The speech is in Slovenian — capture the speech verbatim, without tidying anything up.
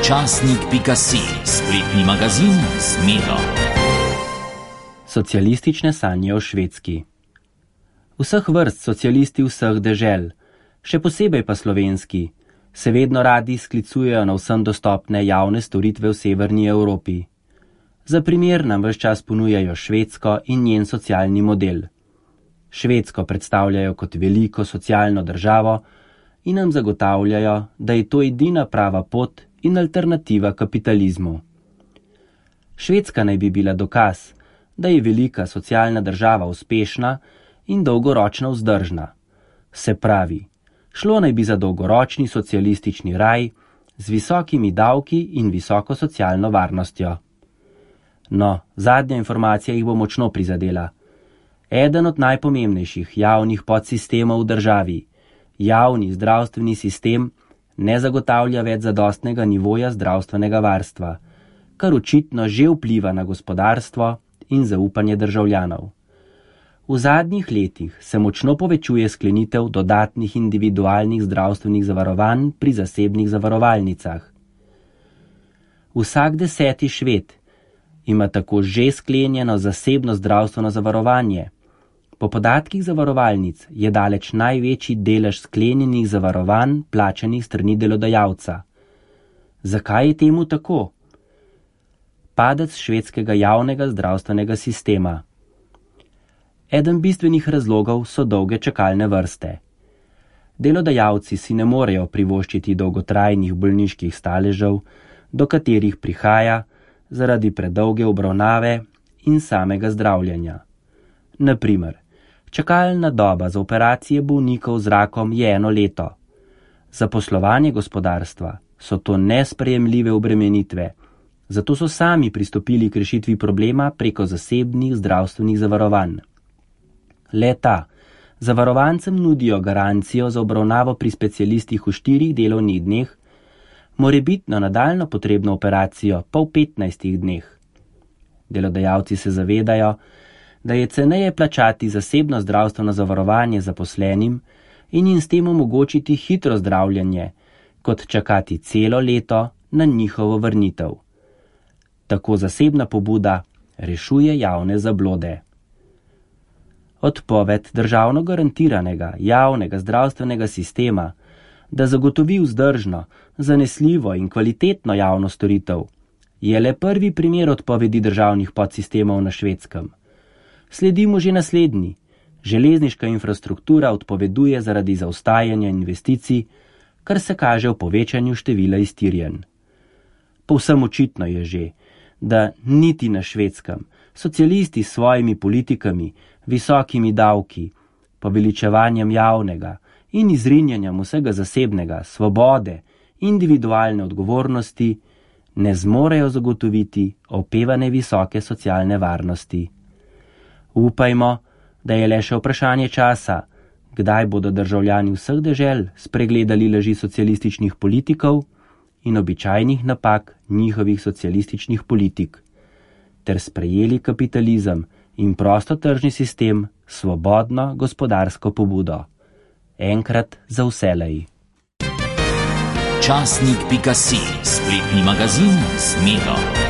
Časnik pika si, spletni magazin z Miro. Socialistične sanje o Švedski. Vseh vrst socialisti vseh dežel, še posebej pa slovenski, se vedno radi sklicujejo na vsem dostopne javne storitve v severni Evropi. Za primer nam ves čas ponujajo Švedsko in njen socialni model. Švedsko predstavljajo kot veliko socialno državo in nam zagotavljajo, da je to edina prava pot in alternativa kapitalizmu. Švedska naj bi bila dokaz, da je velika socialna država uspešna in dolgoročno vzdržna. Se pravi, šlo naj bi za dolgoročni socialistični raj z visokimi davki in visoko socialno varnostjo. No, zadnja informacija jih bo močno prizadela. Eden od najpomembnejših javnih podsistemov v državi, javni zdravstveni sistem, ne zagotavlja več zadostnega nivoja zdravstvenega varstva, kar očitno že vpliva na gospodarstvo in zaupanje državljanov. V zadnjih letih se močno povečuje sklenitev dodatnih individualnih zdravstvenih zavarovanj pri zasebnih zavarovalnicah. Vsak deseti Šved ima tako že sklenjeno zasebno zdravstveno zavarovanje. Po podatkih zavarovalnic je daleč največji delež sklenjenih zavarovanj plačanih strani delodajalca. Zakaj je temu tako? Padec švedskega javnega zdravstvenega sistema. Eden bistvenih razlogov so dolge čakalne vrste. Delodajalci si ne morejo privoščiti dolgotrajnih bolniških staležev, do katerih prihaja zaradi predolge obravnave in samega zdravljenja. Na primer, čakalna doba za operacije bolnikov z rakom je eno leto. Za poslovanje gospodarstva so to nesprejemljive obremenitve, zato so sami pristopili k rešitvi problema preko zasebnih zdravstvenih zavarovanj. Le-ta zavarovancem nudijo garancijo za obravnavo pri specialistih v štirih delovnih dneh, morebitno nadaljno potrebno operacijo pa v petnajstih dneh. Delodajalci se zavedajo, da je ceneje plačati zasebno zdravstveno zavarovanje zaposlenim in jim s tem omogočiti hitro zdravljenje, kot čakati celo leto na njihovo vrnitev. Tako zasebna pobuda rešuje javne zablode. Odpoved državno garantiranega javnega zdravstvenega sistema, da zagotovi vzdržno, zanesljivo in kvalitetno javno storitev, je le prvi primer odpovedi državnih podsistemov na Švedskem. Sledimo že naslednji. Železniška infrastruktura odpoveduje zaradi zaostajanja investicij, kar se kaže v povečanju števila iztirjenj. Povsem očitno je že, da niti na Švedskem socialisti s svojimi politikami, visokimi davki, poveličevanjem javnega in izrinjanjem vsega zasebnega, svobode, individualne odgovornosti ne zmorejo zagotoviti opevane visoke socialne varnosti. Upajmo, da je le še vprašanje časa, kdaj bodo državljani vseh dežel spregledali laži socialističnih politikov in običajnih napak njihovih socialističnih politik, ter sprejeli kapitalizem in prostotržni sistem s svobodno gospodarsko pobudo. Enkrat za vselej. Časnik pika si, spletni magazin z Miro.